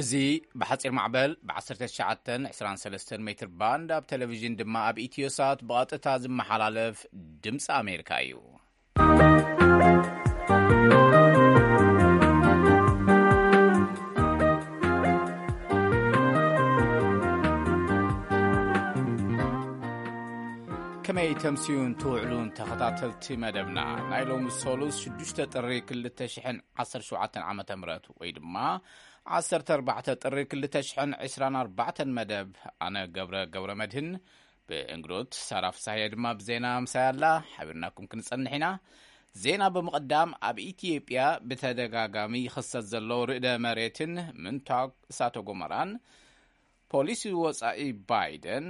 እዚ ብሓጺር ማዕበል ብ19 23 ሜትር ባንድ፣ ኣብ ቴሌቪዥን ድማ ኣብ ኢትዮሳት ብቐጥታ ዝመሓላለፍ ድምፂ ኣሜሪካ እዩ። ከመይ ተምስዩን ትውዕሉን ተኸታተልቲ መደብና? ናይ ሎሚ ሰሉስ ሽዱሽተ ጥሪ ክልተ ሽሕን ዓሰርተ ሸውዓተን ዓመተ ምህረት ወይ ድማ ዓሰርተ ኣርባዕተ ጥሪ ክልተ ሽሕን ዕስራን ኣርባዕተን መደብ፣ ኣነ ገብረ ገብረ መድህን ብእንግዶት ሳራ ፍሳሐየ ድማ ብዜና ምሳይ ኣላ። ሓቢርናኩም ክንጸንሕ ኢና። ዜና ብምቕዳም፣ ኣብ ኢትዮጵያ ብተደጋጋሚ ይኽሰት ዘሎ ርዕደ መሬትን ምንታግ እሳተ ጎመራን፣ ፖሊሲ ወጻኢ ባይደን፣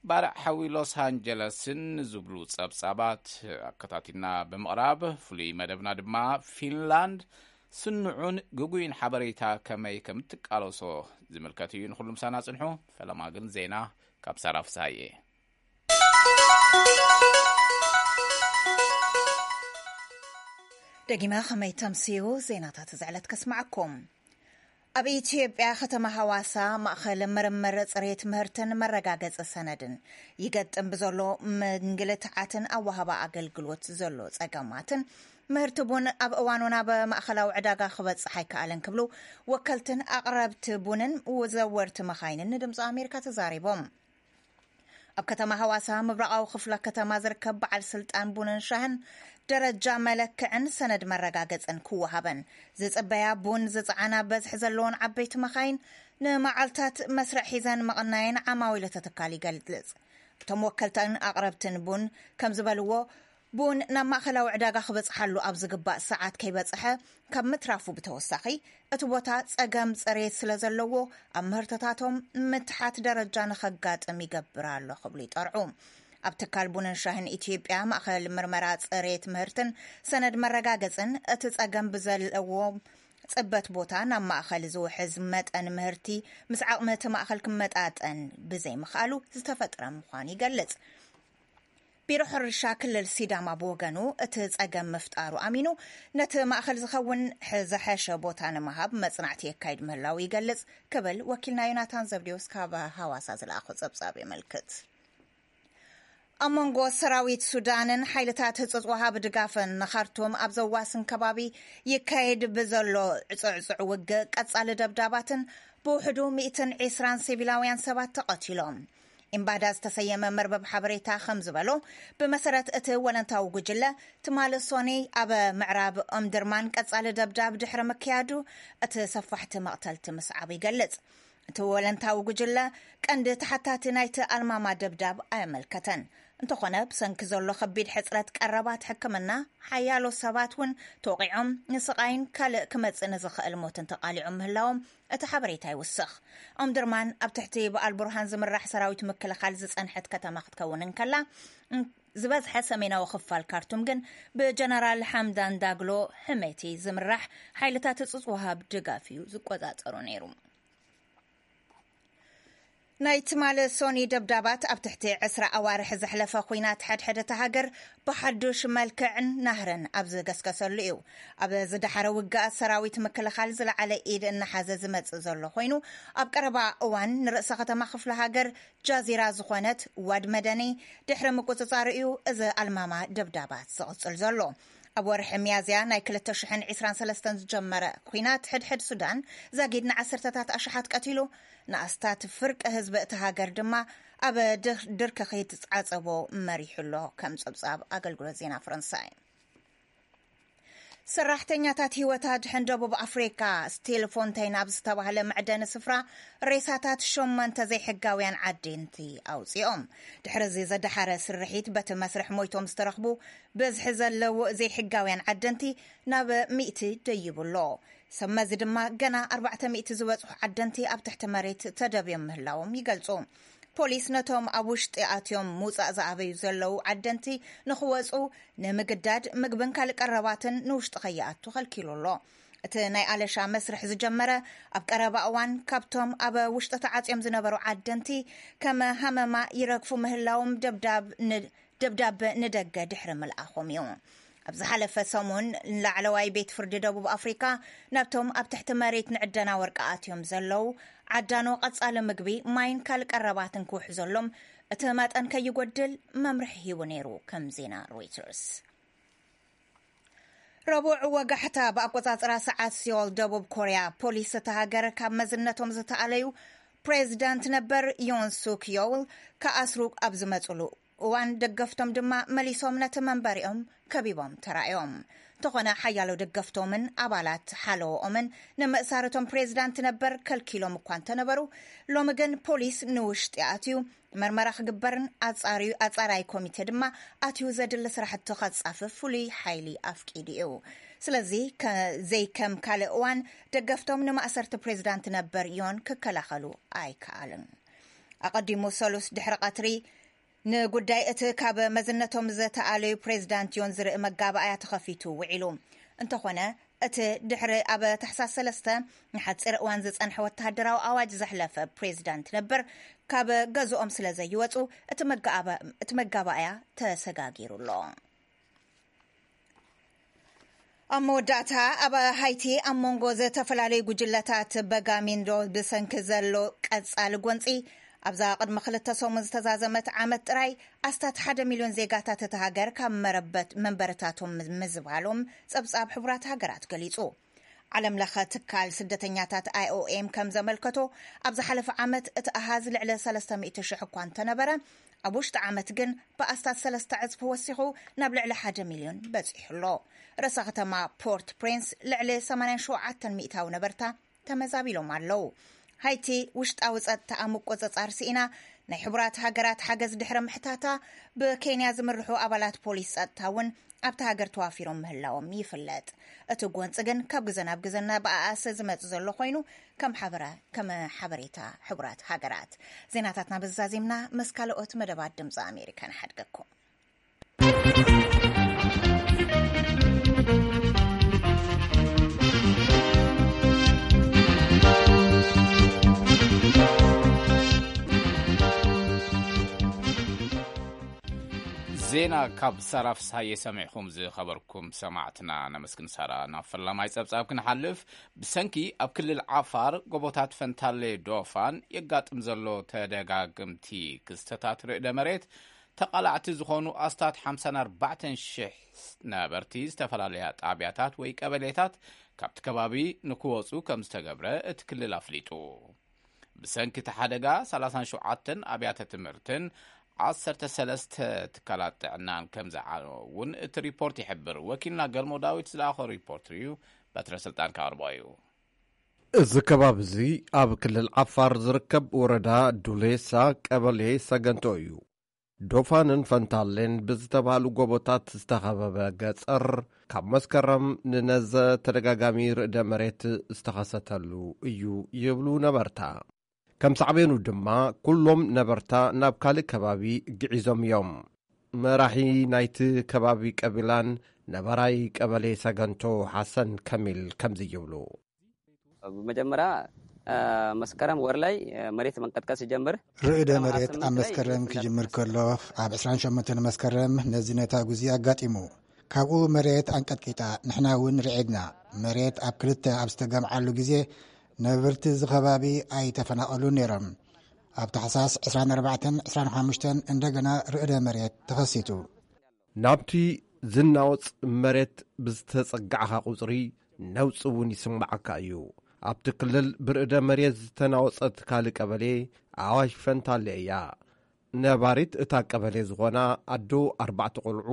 ባርዕ ሓዊ ሎስ ኣንጀለስን ዝብሉ ጸብጻባት ኣከታቲልና ብምቕራብ፣ ፍሉይ መደብና ድማ ፊንላንድ ስኑዑን ግጉይን ሓበሬታ ከመይ ከም እትቃለሶ ዝምልከት እዩ። ንኹሉ ምሳና ጽንሑ። ፈለማ ግን ዜና ካብ ሳራ ፍሳሐየ። ደጊመ ከመይ ተምስዩ ዜናታት እዚ ዕለት ከስማዓኩም። ኣብ ኢትዮጵያ ከተማ ሃዋሳ ማእኸል ምርምር ጽሬት ምህርትን መረጋገጺ ሰነድን ይገጥም ብዘሎ ምንግልትዓትን ኣወሃባ ኣገልግሎት ዘሎ ጸገማትን፣ ምህርቲ ቡን ኣብ እዋኑ ናብ ማእኸላዊ ዕዳጋ ክበጽሕ ኣይከኣለን ክብሉ ወከልትን ኣቕረብቲ ቡንን ዘወርቲ መኻይንን ንድምፂ ኣሜሪካ ተዛሪቦም። ኣብ ከተማ ሃዋሳ ምብራቓዊ ክፍለ ከተማ ዝርከብ በዓል ስልጣን ቡንን ሻህን ደረጃ መለክዕን ሰነድ መረጋገጽን ክወሃበን ዝጽበያ ቡን ዝጸዓና በዝሒ ዘለዎን ዓበይቲ መኻይን ንመዓልታት መስርዕ ሒዘን ምቕናየን ዓማዊል እቲ ትካል ይገልጽ። እቶም ወከልትን ኣቕረብትን ቡን ከም ዝበልዎ፣ ቡን ናብ ማእኸላዊ ዕዳጋ ክበጽሓሉ ኣብ ዝግባእ ሰዓት ከይበጽሐ ካብ ምትራፉ ብተወሳኺ፣ እቲ ቦታ ጸገም ጽሬት ስለ ዘለዎ፣ ኣብ ምህርትታቶም ምትሓት ደረጃ ንኸጋጥም ይገብር ኣሎ ክብሉ ይጠርዑ። ኣብ ትካል ቡንን ሻህን ኢትዮጵያ ማእኸል ምርመራ ጽሬት ምህርትን ሰነድ መረጋገጽን፣ እቲ ጸገም ብዘለዎ ጽበት ቦታ ናብ ማእኸል ዝውሕዝ መጠን ምህርቲ ምስ ዓቕሚ እቲ ማእኸል ክመጣጠን ብዘይምኽኣሉ ዝተፈጥረ ምዃኑ ይገልጽ። ቢሮ ሕርሻ ክልል ሲዳማ ብወገኑ፣ እቲ ጸገም ምፍጣሩ ኣሚኑ፣ ነቲ ማእኸል ዝኸውን ሕ-፣ ዝሐሸ ቦታ ንምሃብ መጽናዕቲ የካይድ ምህላው ይገልጽ ክብል ወኪልና ዮናታን ዘብዴዎስ ካብ ሃዋሳ ዝለኣኾ ጸብጻብ የመልክት። ኣብ መንጎ ሰራዊት ሱዳንን ሓይልታት ህጹጽ ወሃቢ ድጋፍን ንኻርቱም ኣብ ዘዋስን ከባቢ ይካየድ ብዘሎ ዕጹዕጹዕ ውግእ፣ ቀጻሊ ደብዳባትን ብውሕዱ ሚእትን ዕስራን ሲቪላውያን ሰባት ተቐቲሎም። ኢምባዳ ዝተሰየመ መርበብ ሓበሬታ ከም ዝበሎ፣ ብመሰረት እቲ ወለንታዊ ጉጅለ፣ ትማሊ ሶኒ ኣብ ምዕራብ ኦምድርማን ቀጻሊ ደብዳብ ድሕሪ ምክያዱ፣ እቲ ሰፋሕቲ መቕተልቲ ምስዓቡ ይገልጽ። እቲ ወለንታዊ ጉጅለ ቀንዲ ተሓታቲ ናይቲ ኣልማማ ደብዳብ ኣየመልከተን። እንተኾነ፣ ብሰንኪ ዘሎ ከቢድ ሕጽረት ቀረባት ሕክምና፣ ሓያሎ ሰባት እውን ተወቒዖም፣ ንስቓይን ካልእ ክመጽእ ንዝኽእል ሞትን ተቓሊዖም ምህላዎም እቲ ሓበሬታ ይውስኽ። ኦምድርማን ኣብ ትሕቲ ብኣል ቡርሃን ዝምራሕ ሰራዊት ምክልኻል ዝጸንሐት ከተማ ክትከውን እንከላ፣ እን-፣ ዝበዝሐ ሰሜናዊ ክፋል ካርቱም ግን ብጀነራል ሓምዳን ዳግሎ ሕሜቲ ዝምራሕ ሓይልታት ህጹጽ ወሃብ ድጋፍ እዩ ዝቆጻጸሮ ነይሩ። ናይ ትማሊ ሶኒ ደብዳባት ኣብ ትሕቲ ዕስራ ኣዋርሕ ዘሕለፈ ኲናት ሕድሕድ እታ ሃገር ብሓዱሽ መልክዕን ናህርን ኣብ ዝገስገሰሉ እዩ። ኣብ ዝደሓረ ውግኣት ሰራዊት ምክልኻል ዝለዓለ ኢድ እናሓዘ ዝመጽእ ዘሎ ኮይኑ፣ ኣብ ቀረባ እዋን ንርእሰ ከተማ ክፍለ ሃገር ጃዚራ ዝኾነት ዋድ መደኒ ድሕሪ ምቁጽጻሩ እዩ እዚ ኣልማማ ደብዳባት ዝቕጽል ዘሎ። ኣብ ወርሒ ሚያዝያ ናይ ክልተ ሽሕን ዕስራን ሰለስተን ዝጀመረ ኲናት ሕድሕድ ሱዳን ዛጊድ ንዓሰርተታት ኣሽሓት ቀቲሉ፣ ንኣስታት ፍርቂ ህዝቢ እታ ሃገር ድማ ኣብ ድር-፣ ድርኪ ክይትጻጸቦ መሪሑ ኣሎ፣ ከም ጸብጻብ ኣገልግሎት ዜና ፈረንሳይ። ሰራሕተኛታት ህይወት ኣድሕን ደቡብ ኣፍሪካ፣ ስቲል ፎንቴን ኣብ ዝተባህለ መዕደኒ ስፍራ ሬሳታት ሸሞንተ ዘይሕጋውያን ዓደንቲ ኣውፂኦም። ድሕሪ እዚ ዘደሓረ ስርሒት፣ በቲ መስርሕ ሞይቶም ዝተረኽቡ ብዝሒ ዘለዉ ዘይሕጋውያን ዓደንቲ ናብ ሚእቲ ደይቡ ኣሎ። ሰብ መዚ ድማ ገና ኣርባዕተ ሚእቲ ዝበጽሑ ዓደንቲ ኣብ ትሕቲ መሬት ተደብዮም ምህላዎም ይገልጹ። ፖሊስ ነቶም ኣብ ውሽጢ ኣትዮም ምውጻእ ዝኣበዩ ዘለዉ ዓደንቲ ንኽወጹ ንምግዳድ ምግብን ካልእ ቀረባትን ንውሽጢ ከይኣቱ ከልኪሉ ኣሎ። እቲ ናይ ኣለሻ መስርሕ ዝጀመረ ኣብ ቀረባ እዋን፣ ካብቶም ኣብ ውሽጢ ተዓጽዮም ዝነበሩ ዓደንቲ ከም ሃመማ ይረግፉ ምህላዎም ደብዳብ ን-፣ ደብዳብ ንደገ ድሕሪ ምልኣኾም እዩ። ኣብ ዝሓለፈ ሰሙን ላዕለዋይ ቤት ፍርዲ ደቡብ ኣፍሪካ ናብቶም ኣብ ትሕቲ መሬት ንዕደና ወርቂ ኣትዮም ዘለዉ ዓዳኖ ቀጻሊ ምግቢ፣ ማይን ካልእ ቀረባትን ክውሕዘሎም እቲ መጠን ከይጎድል መምርሒ ሂቡ ነይሩ። ከም ዜና ሮይተርስ። ረቡዕ ወጋሕታ ብኣቆጻጽራ ሰዓት ሲዮል ደቡብ ኮርያ፣ ፖሊስ እታ ሃገር ካብ መዝነቶም ዝተኣለዩ ፕሬዚዳንት ነበር ዮን ሱክ ዮል ክኣስሩ ኣብ ዝመጽሉ እዋን፣ ደገፍቶም ድማ መሊሶም ነቲ መንበሪኦም ከቢቦም ተራእዮም። እንተኾነ ሓያሎ ደገፍቶምን ኣባላት ሓለዎኦምን ንምእሳር እቶም ፕሬዚዳንት ነበር ከልኪሎም እኳ እንተነበሩ፣ ሎሚ ግን ፖሊስ ንውሽጢ ኣትዩ መርመራ ክግበርን ኣጻርዩ ኣጻራይ ኮሚቴ ድማ ኣትዩ ዘድሊ ስራሕቲ ከጻፍፍ ፍሉይ ሓይሊ ኣፍቂዱ እዩ። ስለዚ ከ- ዘይከም ካልእ እዋን ደገፍቶም ንማእሰርቲ ፕሬዚዳንት ነበር ዮን ክከላኸሉ ኣይከኣሉን። ኣቐዲሙ ሰሉስ ድሕሪ ቀትሪ ንጉዳይ እቲ ካብ መዝነቶም ዝተኣለዩ ፕሬዚዳንት ዮን ዝርኢ መጋባእያ ተኸፊቱ ውዒሉ። እንተኾነ እቲ ድሕሪ ኣብ ታሕሳስ ሰለስተ ንሓፂር እዋን ዝፀንሐ ወተሃደራዊ ኣዋጅ ዘሕለፈ ፕሬዚዳንት ነበር ካብ ገዝኦም ስለ ዘይወፁ እቲ መጋኣባ- እቲ መጋባእያ ተሰጋጊሩ ኣሎ። ኣብ መወዳእታ ኣብ ሃይቲ ኣብ መንጎ ዝተፈላለዩ ጉጅለታት በጋሚንዶ ብሰንኪ ዘሎ ቀጻሊ ጎንፂ ኣብዛ ቅድሚ ክልተ ሰሙን ዝተዛዘመት ዓመት ጥራይ ኣስታት ሓደ ሚልዮን ዜጋታት እቲ ሃገር ካብ መረበት መንበርታቶም ምዝባሎም ጸብጻብ ሕቡራት ሃገራት ገሊጹ። ዓለም ለኸ ትካል ስደተኛታት ኣይኦኤም ከም ዘመልከቶ ኣብ ዝሓለፈ ዓመት እቲ ኣሃዝ ልዕሊ ሰለስተ ሚእቲ ሽሕ እኳ እንተነበረ ኣብ ውሽጢ ዓመት ግን ብኣስታት ሰለስተ ዕጽፊ ወሲኹ ናብ ልዕሊ ሓደ ሚልዮን በጺሑ ኣሎ። ርእሰ ከተማ ፖርት ፕሪንስ ልዕሊ ሰማንያን ሸውዓተን ሚእታዊ ነበርታ ተመዛቢሎም ኣለዉ። ሃይቲ ውሽጣዊ ጸጥታኣ ምቁጽጻር ስኢና ናይ ሕቡራት ሃገራት ሓገዝ ድሕሪ ምሕታታ ብኬንያ ዝምርሑ ኣባላት ፖሊስ ጸጥታ እውን ኣብታ ሃገር ተዋፊሮም ምህላዎም ይፍለጥ። እቲ ጎንፂ ግን ካብ ግዘ ናብ ግዘ እናበኣሰ ዝመጽእ ዘሎ ኮይኑ ከም ሓበራ ከም ሓበሬታ ሕቡራት ሃገራት። ዜናታትና በዛዚምና ምስ ካልኦት መደባት ድምፂ ኣሜሪካ ንሓድገኩም። ዜና ካብ ሳራ ፍስሃየ ሰሚዕኹም ዝኸበርኩም ሰማዕትና ነመስግን። ሳራ ናብ ፈላማይ ጸብጻብ ክንሓልፍ። ብሰንኪ ኣብ ክልል ዓፋር ጎቦታት ፈንታሌ ዶፋን የጋጥም ዘሎ ተደጋግምቲ ክስተታት ርእደ መሬት ተቓላዕቲ ዝኾኑ ኣስታት ሓምሳን ኣርባዕተን ሽሕ ነበርቲ ዝተፈላለያ ጣብያታት ወይ ቀበሌታት ካብቲ ከባቢ ንክወፁ ከም ዝተገብረ እቲ ክልል ኣፍሊጡ። ብሰንኪ እቲ ሓደጋ ሰላሳን ሸውዓተን ኣብያተ ትምህርትን ዓሰርተ ሰለስተ ትካላት ጥዕናን ከም ዝዓነወ እውን እቲ ሪፖርት ይሕብር። ወኪልና ገልሞ ዳዊት ዝለኣኾ ሪፖርት እዩ፣ በትረ ስልጣን ከቕርቦ እዩ። እዚ ከባቢ እዚ ኣብ ክልል ዓፋር ዝርከብ ወረዳ ዱሌሳ ቀበሌ ሰገንቶ እዩ። ዶፋንን ፈንታሌን ብዝተባህሉ ጎቦታት ዝተኸበበ ገጸር ካብ መስከረም ንነዘ ተደጋጋሚ ርእደ መሬት ዝተኸሰተሉ እዩ ይብሉ ነበርታ። ከም ሳዕቤኑ ድማ ኩሎም ነበርታ ናብ ካልእ ከባቢ ግዒዞም እዮም። መራሒ ናይቲ ከባቢ ቀቢላን ነባራይ ቀበሌ ሰገንቶ ሓሰን ከሚል ከምዚ ይብሉ። መጀመርያ መስከረም ወር ላይ መሬት መንቀጥቀጥ ሲጀምር ርእደ መሬት ኣብ መስከረም ክጅምር ከሎ ኣብ ዕስራን ሸሞንተን መስከረም ነዚ ነታ ጉዚ ኣጋጢሙ። ካብኡ መሬት ኣንቀጥቂጣ፣ ንሕና እውን ርዒድና። መሬት ኣብ ክልተ ኣብ ዝተገምዓሉ ግዜ ነበርቲ እዚ ከባቢ ኣይተፈናቐሉን ነይሮም። ኣብ ታሕሳስ ዕስራን ኣርባዕተን ዕስራን ሓሙሽተን እንደገና ርእደ መሬት ተኸሲቱ። ናብቲ ዝናወጽ መሬት ብዝተጸጋዕካ ቁጽሪ ነውጺ እውን ይስምዓካ እዩ። ኣብቲ ክልል ብርእደ መሬት ዝተናወጸት ካልእ ቀበሌ ኣዋሽ ፈንታሌ እያ። ነባሪት እታ ቀበሌ ዝኾና ኣዶ ኣርባዕተ ቆልዑ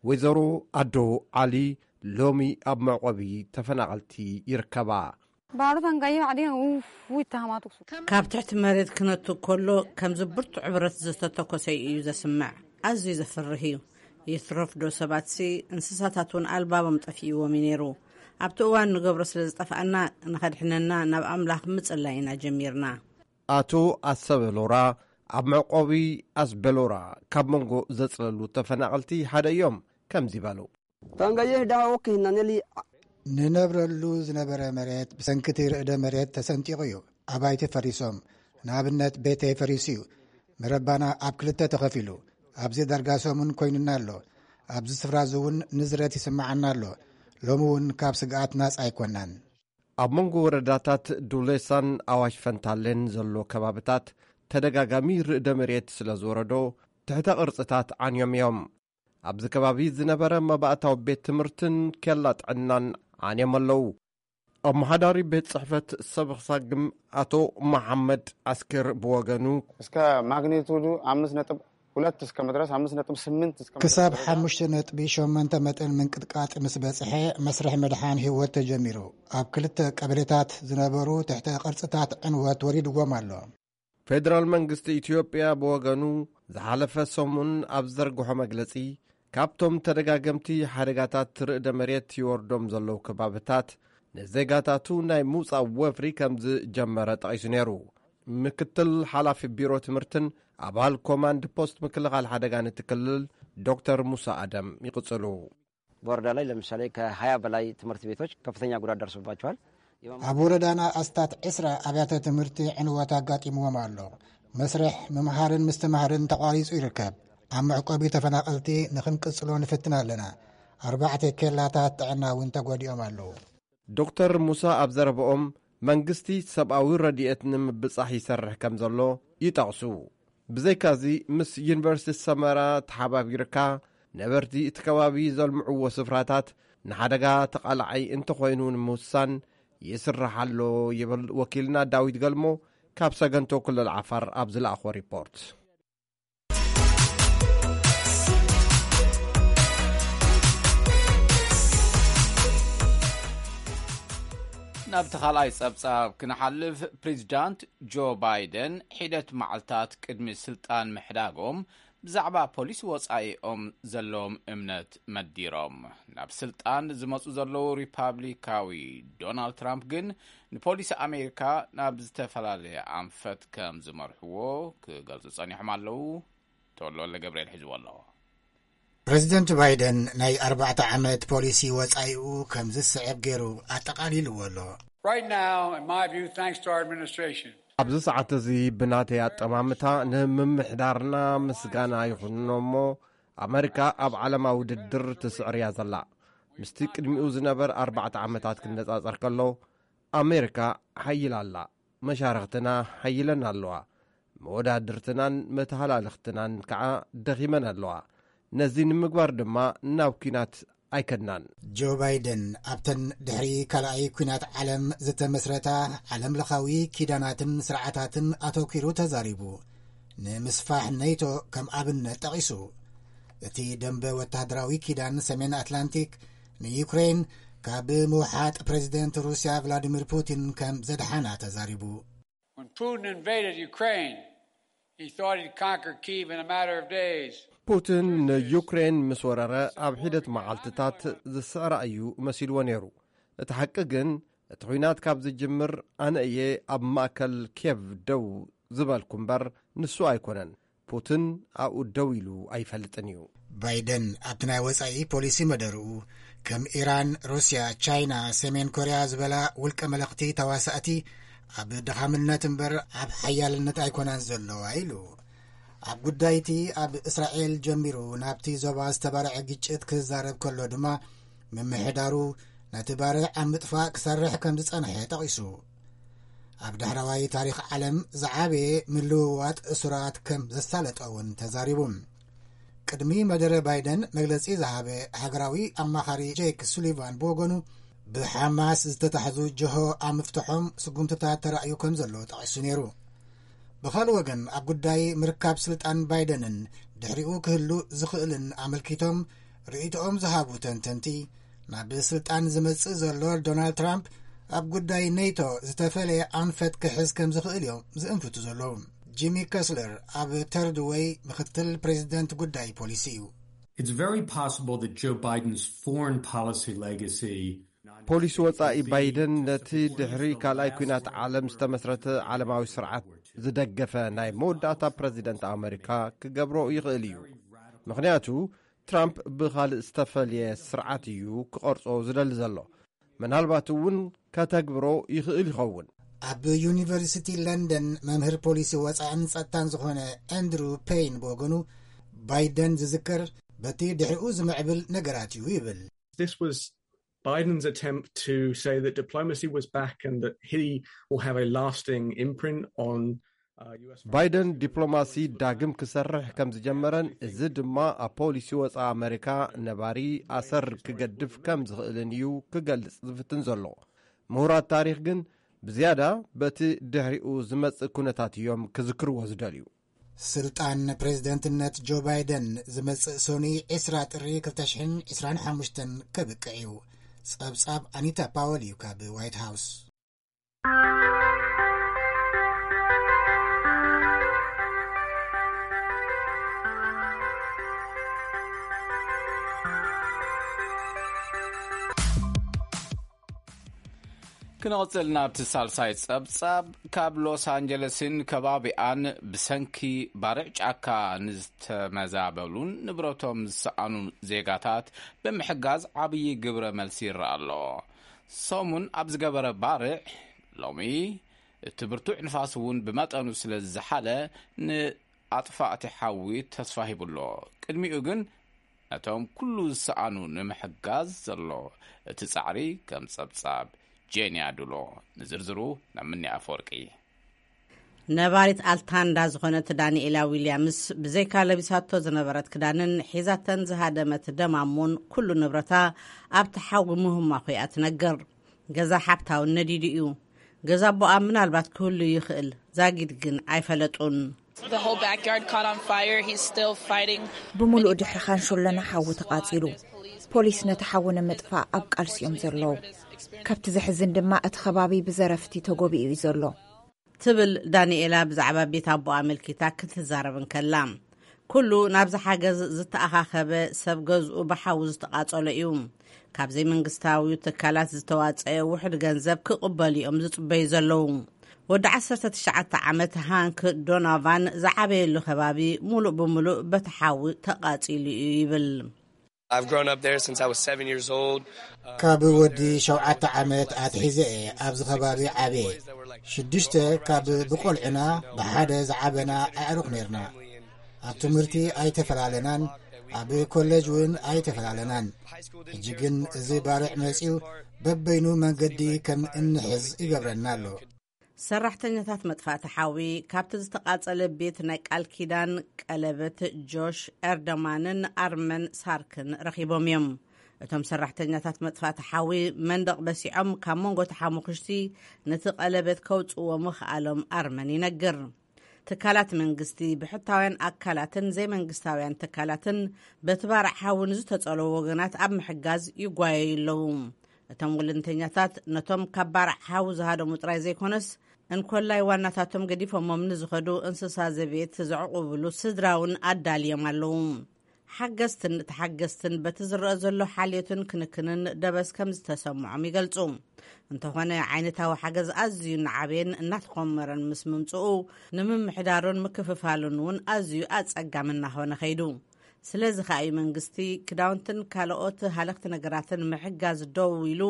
ወይዘሮ ኣዶ ዓሊ ሎሚ ኣብ መዕቆቢ ተፈናቐልቲ ይርከባ። ባሮታን ጋዮ ዓዲን ውፍ ይተሃማቱ ክሱ ካብ ትሕቲ መሬት ክነቱ ከሎ ከምዚ ብርቱዕ ብረት ዝተተኮሰ እዩ ዘስምዕ። ኣዝዩ ዘፍርህ እዩ። ይትረፍ ዶ ሰባትሲ እንስሳታት እውን ኣልባቦም ጠፊእዎም እዩ ነይሩ። ኣብቲ እዋን ንገብሮ ስለ ዝጠፍኣና ንኸድሕነና ናብ ኣምላኽ ምጽላይ ኢና ጀሚርና። ኣቶ ኣሰበ ሎራ ኣብ መዕቆቢ ኣስበሎራ ካብ መንጎ ዘጽለሉ ተፈናቐልቲ ሓደ እዮም። ከምዚ በሉ። ቶንገይህ ዳሃ ወኪህናነሊ ንነብረሉ ዝነበረ መሬት ብሰንክቲ ርእደ መሬት ተሰንጢቑ እዩ። ኣባይቲ ፈሪሶም፣ ንኣብነት ቤተይ ፈሪሱ እዩ። መረባና ኣብ ክልተ ተኸፊሉ። ኣብዚ ዳርጋ ሰሙን ኮይኑና ኣሎ። ኣብዚ ስፍራ እዚ እውን ንዝረት ይስምዓና ኣሎ። ሎሚ እውን ካብ ስግኣት ናጻ ኣይኮናን። ኣብ መንጎ ወረዳታት ዱሌሳን ኣዋሽ ፈንታሌን ዘሎ ከባብታት ተደጋጋሚ ርእደ መሬት ስለ ዝወረዶ ትሕተ ቅርጽታት ዓንዮም እዮም። ኣብዚ ከባቢ ዝነበረ መባእታዊ ቤት ትምህርትን ኬላ ጥዕናን ዓንዮም ኣለዉ። ኣመሓዳሪ ቤት ጽሕፈት ሰበኽሳግም ኣቶ መሓመድ ኣስኪር ብወገኑ፣ እስከ ማግኒቱዱ ኣምስት ነጥብ ሁለት እስከ መድረስ፣ ኣምስት ነጥብ ስምንት እስከ መድረስ ክሳብ ደረጃ ሓሙሽተ ነጥቢ ሸሞንተ መጠን ምንቅጥቃጥ ምስ በጽሐ፣ መስርሕ ምድሓን ህይወት ተጀሚሩ። ኣብ ክልተ ቀበሌታት ዝነበሩ ትሕተ ቅርጽታት ዕንወት ወሪድዎም ኣሎ። ፌደራል መንግስቲ ኢትዮጵያ ብወገኑ፣ ዝሓለፈ ሰሙን ኣብ ዘርግሖ መግለጺ፣ ካብቶም ተደጋገምቲ ሓደጋታት ርእደ መሬት ይወርዶም ዘለዉ ከባብታት፣ ንዜጋታቱ ናይ ምውጻእ ወፍሪ ከም ዝጀመረ ጠቒሱ ነይሩ። ምክትል ሓላፊ ቢሮ ትምህርትን ኣባል ኮማንድ ፖስት ምክልኻል ሓደጋን እቲ ክልል ዶክተር ሙሳ ኣደም ይቕጽሉ። በወረዳ ላይ ለምሳሌ ከሃያ በላይ ትምህርት ቤቶች ከፍተኛ ጉዳት ደርሶባቸዋል። ኣብ ወረዳና ኣስታት ዕስራ ኣብያተ ትምህርቲ ዕንወት ኣጋጢምዎም ኣሎ። መስርሕ ምምሃርን ምስትምሃርን ተቋሪጹ ይርከብ። ኣብ መዕቆቢ ተፈናቐልቲ ንኽንቅጽሎ ንፍትን ኣለና። ኣርባዕተ ኬላታት ጥዕና እውን ተጎዲኦም ኣለዉ። ዶክተር ሙሳ ኣብ ዘረባኦም፣ መንግስቲ ሰብኣዊ ረድኤት ንምብጻሕ ይሰርሕ ከም ዘሎ ይጠቕሱ። ብዘይካዚ፣ ምስ ዩኒቨርሲቲ ሰመራ ተሓባቢርካ ነበርቲ እቲ ከባቢ ዘልምዕዎ ስፍራታት ንሓደጋ ተቓላዓይ እንተኾይኑ ንምውሳን ይስራሕ ኣሎ ይብል ወኪልና ዳዊት ገልሞ ካብ ሰገንቶ ክልል ዓፋር ኣብ ዝለኣኾ ሪፖርት። ናብቲ ካልኣይ ጸብጻብ ክንሓልፍ፣ ፕሬዚዳንት ጆ ባይደን ሒደት መዓልታት ቅድሚ ስልጣን ምሕዳጎም ብዛዕባ ፖሊሲ ወጻኢኦም ዘለዎም እምነት መዲሮም። ናብ ስልጣን ዝመጹ ዘለዉ ሪፓብሊካዊ ዶናልድ ትራምፕ ግን ንፖሊሲ ኣሜሪካ ናብ ዝተፈላለየ ኣንፈት ከም ዝመርሕዎ ክገልጹ ጸኒሖም ኣለዉ። ተወልደ ወልደ ገብርኤል ሒዝዎ ኣሎ። ፕሬዚደንት ባይደን ናይ ኣርባዕተ ዓመት ፖሊሲ ወጻኢኡ ከም ዝስዕብ ገይሩ ኣጠቓሊልዎ ኣሎ። Right now, in my view, thanks to our administration, ኣብዚ ሰዓት እዚ ብናተይ ኣጠማምታ ንምምሕዳርና ምስጋና ይኹንኖ እሞ፣ ኣመሪካ ኣብ ዓለማዊ ውድድር ትስዕር እያ ዘላ። ምስቲ ቅድሚኡ ዝነበር ኣርባዕተ ዓመታት ክነጻጸር ከሎ፣ ኣሜሪካ ሓይል ኣላ። መሻርኽትና ሓይለን ኣለዋ። መወዳድርትናን መተሃላልኽትናን ከዓ ደኺመን ኣለዋ። ነዚ ንምግባር ድማ ናብ ኲናት ኣይከድናን። ጆ ባይደን ኣብተን ድሕሪ ካልኣይ ኲናት ዓለም ዝተመስረታ ዓለምለኻዊ ኪዳናትን ስርዓታትን ኣተኲሩ ተዛሪቡ። ንምስፋሕ ኔቶ ከም ኣብነት ጠቒሱ። እቲ ደንበ ወተሃደራዊ ኪዳን ሰሜን ኣትላንቲክ ንዩክሬን ካብ ምውሓጥ ፕሬዚደንት ሩስያ ቭላዲሚር ፑቲን ከም ዘድሓና ተዛሪቡ። When Putin invaded Ukraine, he thought he'd conquer Kyiv in a matter of days. ፑቲን ንዩክሬን ምስ ወረረ ኣብ ሒደት መዓልትታት ዝስዕራ እዩ መሲልዎ ነይሩ። እቲ ሓቂ ግን፣ እቲ ኲናት ካብ ዝጅምር ኣነ እየ ኣብ ማእከል ኬቭ ደው ዝበልኩ እምበር ንሱ ኣይኮነን። ፑቲን ኣብኡ ደው ኢሉ ኣይፈልጥን እዩ። ባይደን ኣብቲ ናይ ወጻኢ ፖሊሲ መደርኡ፣ ከም ኢራን፣ ሩስያ፣ ቻይና፣ ሰሜን ኮርያ ዝበላ ውልቀ መለኽቲ ተዋሳእቲ ኣብ ድኻምነት እምበር ኣብ ሓያልነት ኣይኮናን ዘለዋ ኢሉ። ኣብ ጉዳይቲ ኣብ እስራኤል ጀሚሩ ናብቲ ዞባ ዝተባርዐ ግጭት ክዛረብ ከሎ ድማ፣ ምምሕዳሩ ነቲ ባርዕ ኣብ ምጥፋእ ክሰርሕ ከም ዝጸንሐ ጠቒሱ። ኣብ ዳሕረዋይ ታሪኽ ዓለም ዝዓበየ ምልውዋጥ እሱራት ከም ዘሳለጠ እውን ተዛሪቡ። ቅድሚ መደረ ባይደን መግለጺ ዝሃበ ሃገራዊ ኣማኻሪ ጄክ ሱሊቫን ብወገኑ፣ ብሓማስ ዝተታሕዙ ጅሆ ኣብ ምፍትሖም ስጉምትታት ተራእዩ ከም ዘሎ ጠቒሱ ነይሩ። ብኻልእ ወገን፣ ኣብ ጉዳይ ምርካብ ስልጣን ባይደንን ድሕሪኡ ክህሉ ዝኽእልን ኣመልኪቶም ርእይቶኦም ዝሃቡ ተንተንቲ፣ ናብ ስልጣን ዝመጽእ ዘሎ ዶናልድ ትራምፕ ኣብ ጉዳይ ኔቶ ዝተፈለየ ኣንፈት ክሕዝ ከም ዝኽእል እዮም ዝእንፍቱ ዘለዉ። ጂሚ ከስለር ኣብ ተርድ ዌይ ምኽትል ፕሬዚደንት ጉዳይ ፖሊሲ እዩ። It's very possible that Joe Biden's foreign policy legacy ፖሊሲ ወጻኢ ባይደን ነቲ ድሕሪ ካልኣይ ኲናት ዓለም ዝተመስረተ ዓለማዊ ስርዓት ዝደገፈ ናይ መወዳእታ ፕረዚደንት ኣመሪካ ክገብሮ ይኽእል እዩ። ምኽንያቱ፣ ትራምፕ ብኻልእ ዝተፈልየ ስርዓት እዩ ክቐርጾ ዝደሊ ዘሎ። ምናልባት እውን ከተግብሮ ይኽእል ይኸውን። ኣብ ዩኒቨርሲቲ ለንደን መምህር ፖሊሲ ወጻእን ጸጥታን ዝኾነ ኣንድሩ ፔይን ብወገኑ፣ ባይደን ዝዝከር በቲ ድሕሪኡ ዝምዕብል ነገራት እዩ ይብል። This was Biden's attempt to say that diplomacy was back and that he will have a lasting imprint on uh, U S. ባይደን ዲፕሎማሲ ዳግም ክሰርሕ ከም ዝጀመረን፣ እዚ ድማ ኣብ ፖሊሲ ወፃኢ ኣመሪካ ነባሪ ኣሰር ክገድፍ ከም ዝኽእልን እዩ ክገልጽ ዝፍትን ዘሎ። ምሁራት ታሪኽ ግን ብዝያዳ በቲ ድሕሪኡ ዝመጽእ ኩነታት እዮም ክዝክርዎ ዝደልዩ። ስልጣን ፕሬዝደንትነት ጆ ባይደን ዝመጽእ ሶኒ ዕስራ ጥሪ ክልተ ሽሕን ዕስራን ሓሙሽተን ከብቅዕ እዩ። ጸብጻብ ኣኒታ ፓወል እዩ ካብ ዋይት ሃውስ። ክንቕጽል ናብቲ ሳልሳይ ጸብጻብ። ካብ ሎስ ኣንጀለስን ከባቢኣን ብሰንኪ ባርዕ ጫካ ንዝተመዛበሉን ንብረቶም ዝሰኣኑ ዜጋታት ብምሕጋዝ ዓብዪ ግብረ መልሲ ይረኣ ኣሎ። ሰሙን ኣብ ዝገበረ ባርዕ ሎሚ እቲ ብርቱዕ ንፋስ እውን ብመጠኑ ስለ ዝዘሓለ ንኣጥፋእቲ ሓዊ ተስፋ ሂቡ ኣሎ። ቅድሚኡ ግን ነቶም ኩሉ ዝሰኣኑ ንምሕጋዝ ዘሎ እቲ ጻዕሪ ከም ጸብጻብ ጄንያ ዱሎ። ንዝርዝሩ ናብ ምኒ ኣፈወርቂ። ነባሪት ኣልታንዳ ዝኾነት ዳንኤላ ዊልያምስ ብዘይካ ለቢሳቶ ዝነበረት ክዳንን ሒዛተን ዝሃደመት ደማሙን ኩሉ ንብረታ ኣብቲ ሓዊ ምህማኹ እያ ትነግር። ገዛ ሓብታውን ነዲዱ እዩ። ገዛ ኣቦኣ ምናልባት ክህሉ ይኽእል፣ ዛጊድ ግን ኣይፈለጡን። The whole backyard caught on fire. He's still fighting. ብምሉእ ድሕሪ ኻንሾሎና ሓዊ ተቓጺሉ። ፖሊስ ነቲ ሓዊ ንምጥፋእ ኣብ ቃልሲ እዮም ዘለዉ። ካብቲ ዘሕዝን ድማ እቲ ከባቢ ብዘረፍቲ ተጎቢኡ እዩ ዘሎ። ትብል ዳንኤላ ብዛዕባ ቤት ኣቦኣ ኣመልኪታ ክትዛረብ እንከላ። ኩሉ ናብዚ ሓገዝ ዝተኣኻኸበ ሰብ ገዝኡ ብሓዊ ዝተቓጸሎ እዩ። ካብ ዘይመንግስታዊ ትካላት ዝተዋጸአ ውሑድ ገንዘብ ክቕበሉ እዮም ዝጽበዩ ዘለዉ። ወዲ ዓሰርተ ትሽዓተ ዓመት ሃንክ ዶኖቫን ዝዓበየሉ ከባቢ ሙሉእ ብሙሉእ በቲ ሓዊ ተቓጺሉ እዩ ይብል። I've grown up there since I was seven years old. ካብ ወዲ ሸውዓተ ዓመት ኣትሒዘ እየ ኣብዚ ከባቢ ዓብየ። ሽዱሽተ ካብ ብቆልዕና ብሓደ ዝዓበና ኣዕሩኽ ነርና። ኣብ ትምህርቲ ኣይተፈላለናን፣ ኣብ ኮሌጅ እውን ኣይተፈላለናን። ሕጂ ግን እዚ ባርዕ መጺኡ በበይኑ መንገዲ ከም እንሕዝ ይገብረና ኣሎ። ሰራሕተኛታት መጥፋእቲ ሓዊ ካብቲ ዝተቓጸለ ቤት ናይ ቃል ኪዳን ቀለበት ጆሽ ኤርደማንን ኣርመን ሳርክን ረኺቦም እዮም። እቶም ሰራሕተኛታት መጥፋእቲ ሓዊ መንደቕ በሲዖም ካብ መንጎ ተሓሙኽሽቲ ነቲ ቀለበት ከውጽእዎ ምኽኣሎም ኣርመን ይነግር። ትካላት መንግስቲ፣ ብሕታውያን ኣካላትን ዘይመንግስታውያን ትካላትን በቲ ባርዕ ሓዊ ንዝተጸለዉ ወገናት ኣብ ምሕጋዝ ይጓየዩ ኣለዉ። እቶም ወለንተኛታት ነቶም ካብ ባርዕ ሓዊ ዝሃደሙ ጥራይ ዘይኮነስ፣ እንኮላይ ዋናታቶም ገዲፎሞም ንዝኸዱ እንስሳ ዘቤት ዘዕቑብሉ ስድራውን ኣዳልዮም ኣለዉ። ሓገዝትን ተሓገዝትን በቲ ዝረኣ ዘሎ ሓልዮትን ክንክንን ደበስ ከም ዝተሰምዖም ይገልጹ። እንተኾነ ዓይነታዊ ሓገዝ ኣዝዩ እናዓበየን እናተኾመረን ምስ ምምጽኡ፣ ንምምሕዳሩን ምክፍፋሉን እውን ኣዝዩ ኣጸጋሚ እናኾነ ኸይዱ። ስለዚ ከኣ እዩ መንግስቲ ክዳውንትን ካልኦት ሃለኽቲ ነገራትን ምሕጋዝ ደው ኢሉ፣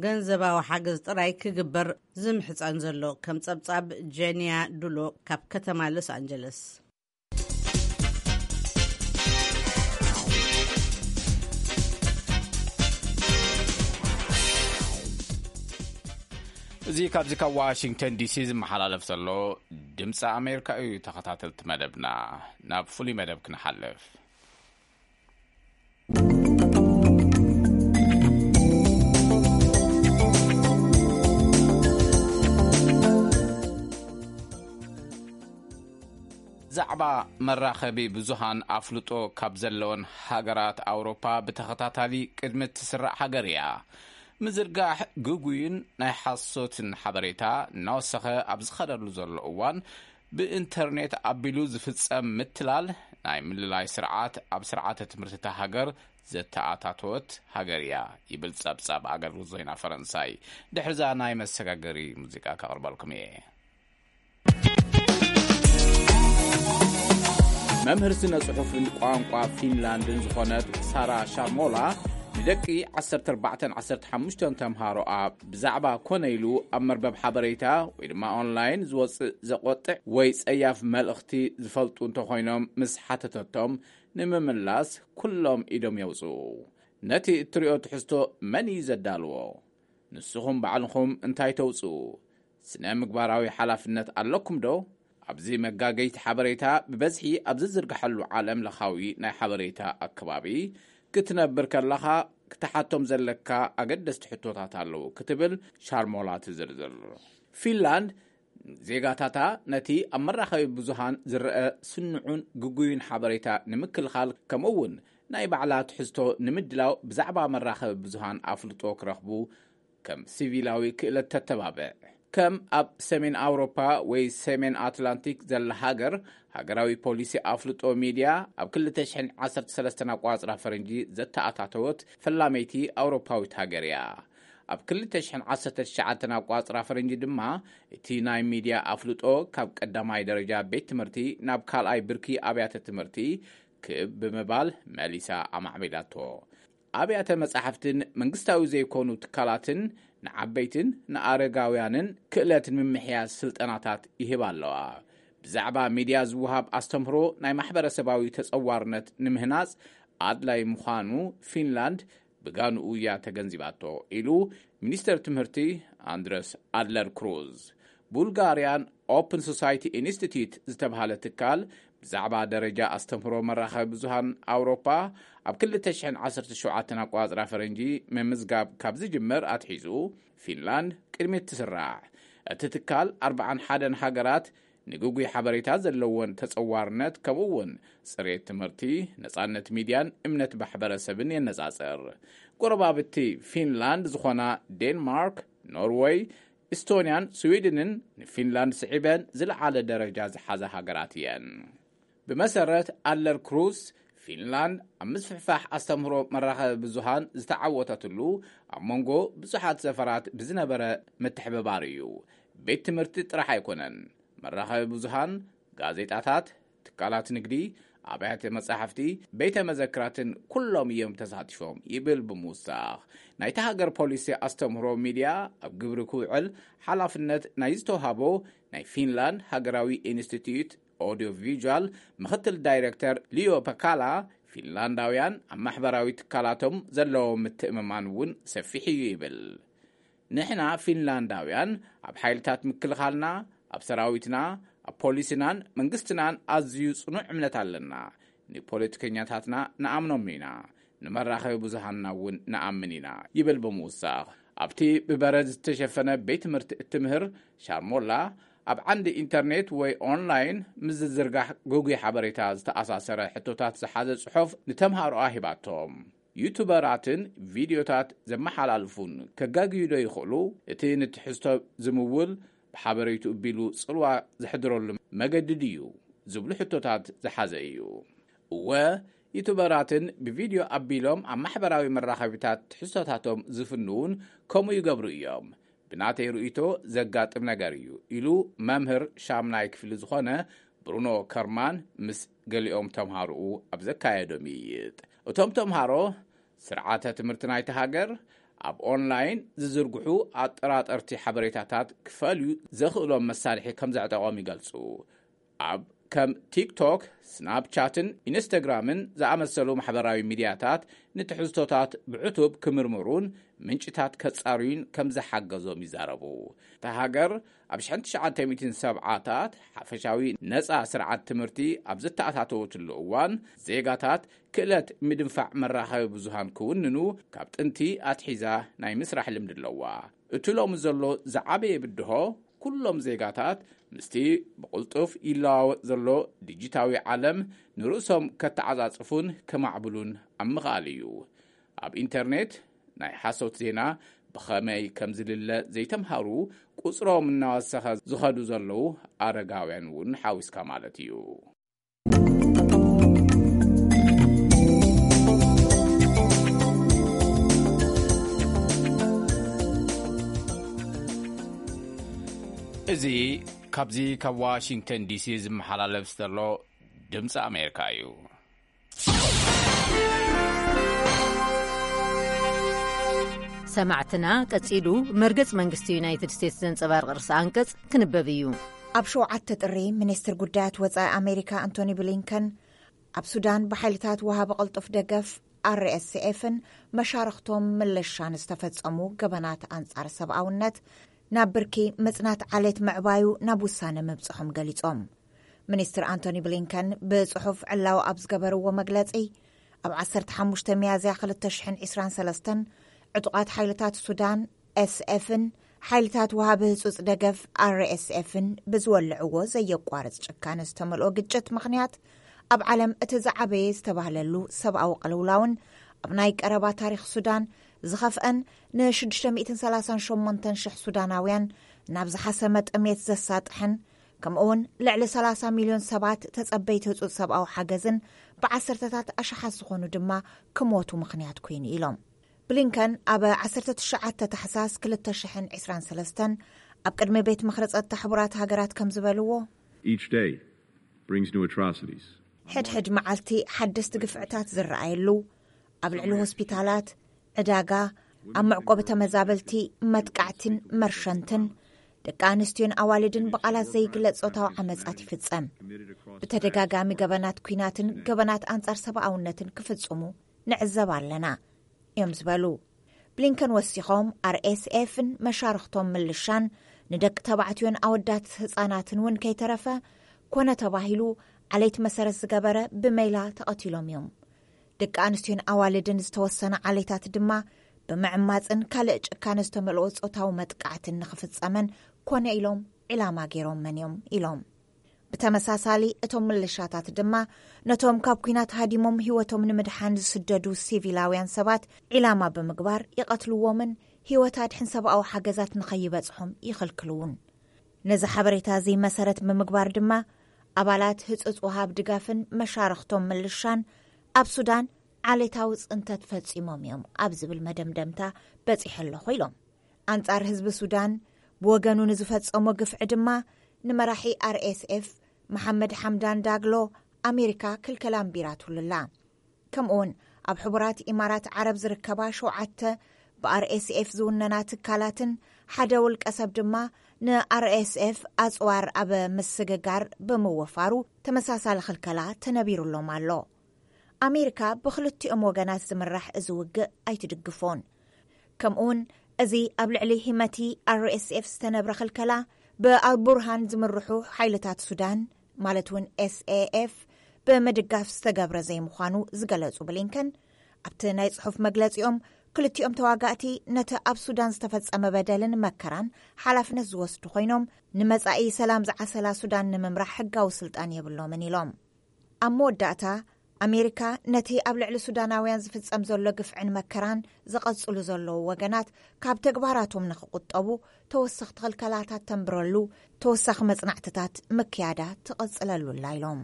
ገንዘባዊ ሓገዝ ጥራይ ክግበር ዝምሕጸን ዘሎ። ከም ጸብጻብ ጀንያ ዱሎ ካብ ከተማ ሎስ ኣንጀለስ። እዚ ካብዚ ካብ ዋሽንግተን ዲሲ ዝመሓላለፍ ዘሎ ድምፂ ኣሜሪካ እዩ። ተኸታተልቲ መደብና፣ ናብ ፍሉይ መደብ ክንሓልፍ። ዛዕባ መራኸቢ ብዙሃን ኣፍልጦ ካብ ዘለወን ሃገራት ኣውሮፓ ብተኸታታሊ ቅድሚ እትስራዕ ሃገር እያ። ምዝርጋሕ ግጉይን ናይ ሓሶትን ሓበሬታ እናወሰኸ ኣብ ዝኸደሉ ዘሎ እዋን፣ ብኢንተርኔት ኣቢሉ ዝፍጸም ምትላል ናይ ምልላይ ስርዓት ኣብ ስርዓተ ትምህርቲ እታ ሃገር ዘተኣታተወት ሃገር እያ ይብል ጸብጻብ ኣገልግሎት ዜና ፈረንሳይ። ድሕሪዛ ናይ መሰጋገሪ ሙዚቃ ከቕርበልኩም እየ። መምህር ስነ ጽሑፍን ቋንቋ ፊንላንድን ዝኾነት ሳራ ሻርሞላ ንደቂ ዓሰርተ ኣርባዕተን ዓሰርተ ሓሙሽተን ተምሃሮኣ ብዛዕባ ኮነ ኢሉ ኣብ መርበብ ሓበሬታ ወይ ድማ ኦንላይን ዝወፅእ ዘቆጥዕ ወይ ጸያፍ መልእኽቲ ዝፈልጡ እንተኾይኖም፣ ምስ ሓተተቶም ንምምላስ ኩሎም ኢዶም የውፅኡ። ነቲ እትሪኦ ትሕዝቶ መን እዩ ዘዳልዎ? ንስኹም ባዕልኹም እንታይ ተውፅኡ? ስነ ምግባራዊ ሓላፍነት ኣለኩም ዶ? ኣብዚ መጋገይቲ ሓበሬታ ብበዝሒ ኣብ ዝዝርግሐሉ ዓለም ለኻዊ ናይ ሓበሬታ ኣከባቢ ክትነብር ከለኻ ክትሓቶም ዘለካ ኣገደስቲ ሕቶታት ኣለዉ ክትብል ሻርሞላ ትዝርዝር። ፊንላንድ ዜጋታታ ነቲ ኣብ መራኸቢ ብዙሃን ዝረአ ስኑዑን ግጉይን ሓበሬታ ንምክልኻል፣ ከምኡ እውን ናይ ባዕላ ትሕዝቶ ንምድላው ብዛዕባ መራኸቢ ብዙሃን ኣፍልጦ ክረኽቡ ከም ሲቪላዊ ክእለት ተተባብዕ። ከም ኣብ ሰሜን ኣውሮፓ ወይ ሰሜን ኣትላንቲክ ዘላ ሃገር፣ ሃገራዊ ፖሊሲ ኣፍልጦ ሚድያ ኣብ ክልተ ሽሕን ዓሰርተ ሰለስተን ኣቋጽራ ፈረንጂ ዘተኣታተወት ፈላመይቲ ኣውሮፓዊት ሃገር እያ። ኣብ ክልተ ሽሕን ዓሰርተ ትሽዓተን ኣቋጽራ ፈረንጂ ድማ፣ እቲ ናይ ሚድያ ኣፍልጦ ካብ ቀዳማይ ደረጃ ቤት ትምህርቲ ናብ ካልኣይ ብርኪ ኣብያተ ትምህርቲ ክብ ብምባል መሊሳ ኣማዕቢላቶ። ኣብያተ መጻሕፍትን መንግስታዊ ዘይኮኑ ትካላትን ንዓበይትን ንኣረጋውያንን ክእለት ንምምሕያሽ ስልጠናታት ይህባ ኣለዋ። ብዛዕባ ሚድያ ዝወሃብ ኣስተምህሮ ናይ ማሕበረሰባዊ ተጸዋርነት ንምህናጽ ኣድላይ ምዃኑ ፊንላንድ ብጋንኡ እያ ተገንዚባቶ፣ ኢሉ ሚኒስተር ትምህርቲ ኣንድረስ ኣድለር ክሩዝ። ቡልጋርያን ኦፕን ሶሳይቲ ኢንስቲትዩት ዝተባህለ ትካል ብዛዕባ ደረጃ ኣስተምህሮ መራኸቢ ብዙሃን ኣውሮፓ ኣብ ክልተ ሽሕን ዓሰርተ ሸውዓተን ኣቋጽራ ፈረንጂ ምምዝጋብ ካብ ዝጅምር ኣትሒዙ ፊንላንድ ቅድሚት ትስራዕ። እቲ ትካል ኣርባዓን ሓደን ሃገራት ንግጉይ ሓበሬታ ዘለወን ተጸዋርነት፣ ከምኡ እውን ጽሬት ትምህርቲ፣ ነጻነት ሚድያን እምነት ማሕበረሰብን የነጻጽር። ጎረባብቲ ፊንላንድ ዝኾና ዴንማርክ፣ ኖርወይ፣ ኢስቶንያን ስዊድንን ንፊንላንድ ስዒበን ዝለዓለ ደረጃ ዝሓዛ ሃገራት እየን። ብመሰረት ኣለር ክሩስ፣ ፊንላንድ ኣብ ምስፍሕፋሕ ኣስተምህሮ መራኸቢ ብዙሃን ዝተዓወተትሉ ኣብ መንጎ ብዙሓት ዘፈራት ብዝነበረ ምትሕብባር እዩ። ቤት ትምህርቲ ጥራሕ ኣይኮነን፣ መራኸቢ ብዙሃን፣ ጋዜጣታት፣ ትካላት ንግዲ፣ ኣብያተ መጻሕፍቲ፣ ቤተ መዘክራትን ኩሎም እዮም ተሳቲፎም ይብል ብምውሳኽ። ናይታ ሃገር ፖሊሲ ኣስተምህሮ ሚድያ ኣብ ግብሪ ክውዕል ሓላፍነት ናይ ዝተውሃቦ ናይ ፊንላንድ ሃገራዊ ኢንስቲትዩት ኦዲዮ ቪዥዋል ምኽትል ዳይሬክተር ሊዮ ፐካላ፣ ፊንላንዳውያን ኣብ ማሕበራዊ ትካላቶም ዘለዎም ምትእምማን እውን ሰፊሕ እዩ ይብል። ንሕና ፊንላንዳውያን ኣብ ሓይልታት ምክልኻልና፣ ኣብ ሰራዊትና፣ ኣብ ፖሊስናን መንግስትናን ኣዝዩ ጽኑዕ እምነት ኣለና። ንፖለቲከኛታትና ንኣምኖም ኢና፣ ንመራኸቢ ብዙሃንና እውን ንኣምን ኢና ይብል ብምውሳኽ፣ ኣብቲ ብበረድ ዝተሸፈነ ቤት ትምህርቲ እትምህር ሻርሞላ፣ ኣብ ዓንዲ ኢንተርኔት ወይ ኦንላይን ምስ ዝዝርጋሕ ግጉይ ሓበሬታ ዝተኣሳሰረ ሕቶታት ዝሓዘ ጽሑፍ ንተምሃሮኣ ሂባቶም። ዩቱበራትን ቪድዮታት ዘመሓላልፉን ከጋግዩ ዶ ይኽእሉ? እቲ ንትሕዝቶ ዝምውል ብሓበሬቱ እቢሉ ጽልዋ ዘሕድረሉ መገዲ ድዩ? ዝብሉ ሕቶታት ዝሓዘ እዩ። እወ፣ ዩቱበራትን ብቪድዮ ኣቢሎም ኣብ ማሕበራዊ መራኸቢታት ትሕዝቶታቶም ዝፍንውን ከምኡ ይገብሩ እዮም። ብናተይ ርእይቶ ዘጋጥም ነገር እዩ፣ ኢሉ መምህር ሻምናይ ክፍሊ ዝኾነ ብሩኖ ከርማን ምስ ገሊኦም ተምሃሮኡ ኣብ ዘካየዶ ምይይጥ። እቶም ተምሃሮ፣ ስርዓተ ትምህርቲ ናይቲ ሃገር ኣብ ኦንላይን ዝዝርግሑ ኣጠራጠርቲ ሓበሬታታት ክፈልዩ ዘኽእሎም መሳርሒ ከም ዘዕጠቖም ይገልጹ። ኣብ ከም ቲክቶክ፣ ስናፕቻትን ኢንስታግራምን ዝኣመሰሉ ማሕበራዊ ሚድያታት ንትሕዝቶታት ብዕቱብ ክምርምሩን ምንጭታት ከጻርዩን ከም ዝሓገዞም ይዛረቡ። እታ ሃገር ኣብ ሽሕን ትሽዓተ ሚእትን ሰብዓታት ሓፈሻዊ ነጻ ስርዓት ትምህርቲ ኣብ ዝተኣታተወትሉ እዋን፣ ዜጋታት ክእለት ምድንፋዕ መራኸቢ ብዙሃን ክውንኑ ካብ ጥንቲ ኣትሒዛ ናይ ምስራሕ ልምዲ ኣለዋ። እቲ ሎሚ ዘሎ ዝዓበየ ብድሆ፣ ኩሎም ዜጋታት ምስቲ ብቕልጡፍ ይለዋወጥ ዘሎ ዲጂታዊ ዓለም ንርእሶም ከተዓጻጽፉን ከማዕብሉን ኣብ ምኽኣል እዩ። ኣብ ኢንተርኔት ናይ ሓሶት ዜና ብኸመይ ከም ዝልለ ዘይተምሃሩ፣ ቁጽሮም እናወሰኸ ዝኸዱ ዘለዉ ኣረጋውያን እውን ሓዊስካ ማለት እዩ። እዚ ካብዚ ካብ ዋሽንግተን ዲሲ ዝመሓላለፍ ዘሎ ድምፂ ኣሜሪካ እዩ። ሰማዕትና፣ ቀጺሉ መርገጽ መንግስቲ ዩናይትድ ስቴትስ ዘንጸባርቕ ርእሰ ኣንቀጽ ክንበብ እዩ። ኣብ ሸውዓተ ጥሪ፣ ሚኒስትር ጉዳያት ወጻኢ ኣሜሪካ ኣንቶኒ ብሊንከን ኣብ ሱዳን ብሓይልታት ወሃቢ ቅልጡፍ ደገፍ ኣር ኤስ ኤፍን መሻርኽቶም ምልሻን ዝተፈጸሙ ገበናት ኣንጻር ሰብኣውነት ናብ ብርኪ ምጽናት ዓሌት ምዕባዩ ናብ ውሳነ ምብጽሖም ገሊጾም። ሚኒስትር ኣንቶኒ ብሊንከን ብጽሑፍ ዕላዊ ኣብ ዝገበርዎ መግለጺ፣ ኣብ ዓሰርተ ሓሙሽተ ሚያዝያ ክልተ ሽሕን ዕስራን ሰለስተን ዕጡቓት ሓይልታት ሱዳን ኤስ ኤፍን ሓይልታት ወሃቢ ህጹጽ ደገፍ ኣር ኤስ ኤፍን ብዝወልዕዎ ዘየቋርጽ ጭካነ ዝተመልኦ ግጭት ምኽንያት፣ ኣብ ዓለም እቲ ዝዓበየ ዝተባህለሉ ሰብኣዊ ቅልውላውን ኣብ ናይ ቀረባ ታሪኽ ሱዳን ዝኸፍአን፣ ን ሽዱሽተ ሚእትን ሰላሳን ሸሞንተን ሽሕ ሱዳናውያን ናብ ዝሓሰመ ጥሜት ዘሳጥሐን፣ ከምኡውን ልዕሊ ሰላሳ ሚልዮን ሰባት ተጸበይቲ ህጹጽ ሰብኣዊ ሓገዝን ብዓሰርተታት ኣሽሓት ዝኾኑ ድማ ክሞቱ ምኽንያት ኮይኑ ኢሎም። ብሊንከን ኣብ ዓሰርተ ትሽዓተ ታሕሳስ ክልተ ሽሕን ዕስራን ሰለስተን ኣብ ቅድሚ ቤት ምኽሪ ጸጥታ ሕቡራት ሃገራት ከም ዝበልዎ፣ Each day brings new atrocities. ሕድሕድ መዓልቲ ሓደስቲ ግፍዕታት ዝረኣየሉ፣ ኣብ ልዕሊ ሆስፒታላት፣ ዕዳጋ፣ ኣብ መዕቆቢ ተመዛበልቲ መጥቃዕትን መርሸንትን፣ ደቂ ኣንስትዮን ኣዋልድን ብቓላት ዘይግለጽ ጾታዊ ዓመጻት ይፍጸም። ብተደጋጋሚ ገበናት ኲናትን ገበናት ኣንጻር ሰብኣውነትን ክፍጽሙ ንዕዘብ ኣለና እዮም ዝበሉ። ብሊንከን ወሲኾም፣ ኣር ኤስ ኤፍን መሻርኽቶም ምልሻን ንደቂ ተባዕትዮን ኣወዳት ህጻናትን እውን ከይተረፈ፣ ኮነ ተባሂሉ ዓሌት መሰረት ዝገበረ ብሜላ ተቐቲሎም እዮም። ደቂ ኣንስትዮን ኣዋልድን ዝተወሰነ ዓሌታት ድማ ብምዕማጽን ካልእ ጭካነ ዝተመልኦ ጾታዊ መጥቃዕትን ንኽፍጸመን ኮነ ኢሎም ዒላማ ገይሮመን እዮም ኢሎም። ብተመሳሳሊ፣ እቶም ምልሻታት ድማ ነቶም ካብ ኲናት ሃዲሞም ህይወቶም ንምድሓን ዝስደዱ ሲቪላውያን ሰባት ዒላማ ብምግባር ይቐትልዎምን ህይወት ኣድሕን ሰብኣዊ ሓገዛት ንኸይበጽሖም ይኽልክልውን። ነዚ ሓበሬታ እዚ መሰረት ብምግባር ድማ፣ ኣባላት ህጹጽ ወሃብ ድጋፍን መሻርኽቶም ምልሻን ኣብ ሱዳን ዓሌታዊ ጽንተት ፈጺሞም እዮም ኣብ ዝብል መደምደምታ በጺሐ ኣለኹ ኢሎም። ኣንጻር ህዝቢ ሱዳን ብወገኑ ንዝፈጸሞ ግፍዒ ድማ፣ ንመራሒ ኣር ኤስ ኤፍ መሓመድ ሓምዳን ዳግሎ ኣሜሪካ ክልከላ ኣንቢራትሉላ። ከምኡውን ኣብ ሕቡራት ኢማራት ዓረብ ዝርከባ ሸውዓተ ብኣር ኤስ ኤፍ ዝውነና ትካላትን ሓደ ውልቀ ሰብ ድማ ንኣር ኤስ ኤፍ ኣጽዋር ኣብ ምስግጋር ብምውፋሩ ተመሳሳሊ ክልከላ ተነቢሩሎም ኣሎ። ኣሜሪካ ብክልቲኦም ወገናት ዝምራሕ እዚ ውግእ ኣይትድግፎን። ከምኡውን እዚ ኣብ ልዕሊ ሂመቲ ኣር ኤስ ኤፍ ዝተነብረ ክልከላ ብኣልቡርሃን ዝምርሑ ሓይልታት ሱዳን፣ ማለት እውን ኤስ ኤ ኤፍ፣ ብምድጋፍ ዝተገብረ ዘይምዃኑ ዝገለጹ ብሊንከን፣ ኣብቲ ናይ ጽሑፍ መግለጺኦም፣ ክልቲኦም ተዋጋእቲ ነቲ ኣብ ሱዳን ዝተፈጸመ በደልን መከራን ሓላፍነት ዝወስዱ ኮይኖም፣ ንመጻኢ ሰላም ዝዓሰላ ሱዳን ንምምራሕ ሕጋዊ ስልጣን የብሎምን ኢሎም። ኣብ መወዳእታ፣ ኣሜሪካ ነቲ ኣብ ልዕሊ ሱዳናውያን ዝፍጸም ዘሎ ግፍዕን መከራን ዝቐጽሉ ዘለዉ ወገናት ካብ ተግባራቶም ንኽቁጠቡ ተወሰኽቲ ክልከላታት ተንብረሉ፣ ተወሳኺ መጽናዕትታት ምክያዳ ትቐጽለሉ ኣላ ኢሎም።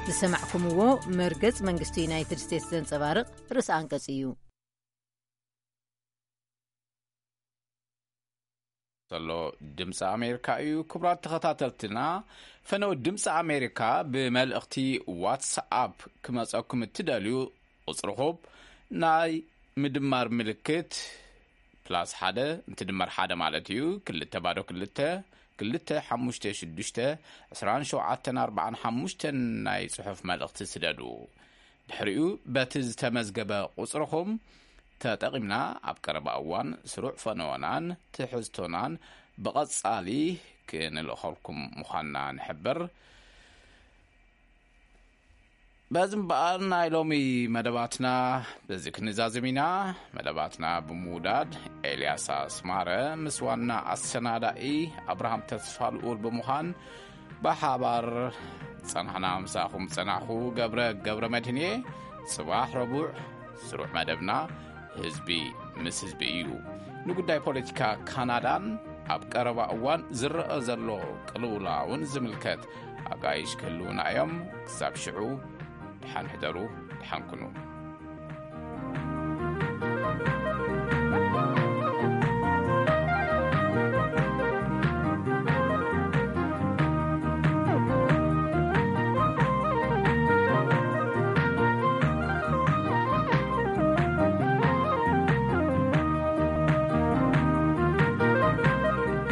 ዝሰማዕኩምዎ መርገጽ መንግስቲ ዩናይትድ ስቴትስ ዘንጸባርቕ ርእሰ ኣንቀጽ እዩ። ዘሎ ድምፂ ኣሜሪካ እዩ። ክቡራት ተኸታተልትና፣ ፈነው ድምፂ ኣሜሪካ ብመልእኽቲ ዋትስኣፕ ክመፀኩም እትደልዩ፣ ቁፅርኹም ናይ ምድማር ምልክት ፕላስ ሓደ፣ እንትድመር ሓደ ማለት እዩ፣ ክልተ ባዶ ክልተ፣ ክልተ ሓሙሽተ ሽዱሽተ፣ ዕስራን ሸውዓተን ኣርባዓን ሓሙሽተን ናይ ፅሑፍ መልእኽቲ ስደዱ። ድሕሪኡ በቲ ዝተመዝገበ ቁፅርኹም ተጠቒምና ኣብ ቀረባ እዋን ስሩዕ ፈነወናን ትሕዝቶናን ብቐጻሊ ክንልእኸልኩም ምዃንና ንሕብር። በዚ እምበኣር ናይ ሎሚ መደባትና በዚ ክንዛዝም ኢና። መደባትና ብምውዳድ ኤልያስ ኣስማረ ምስ ዋና ኣሰናዳኢ ኣብርሃም ተስፋ ልኡል ብምዃን ብሓባር ጸናሕና። ምሳኹም ጸናሕኹ ገብረ ገብረ መድህን እየ። ጽባሕ ረቡዕ ስሩዕ መደብና ህዝቢ ምስ ህዝቢ እዩ። ንጉዳይ ፖለቲካ ካናዳን ኣብ ቀረባ እዋን ዝረአ ዘሎ ቅልውላውን ዝምልከት ኣጋይሽ ክህልውና እዮም። ክሳብ ሽዑ ደሓን ሕደሩ፣ ደሓን ኩኑ።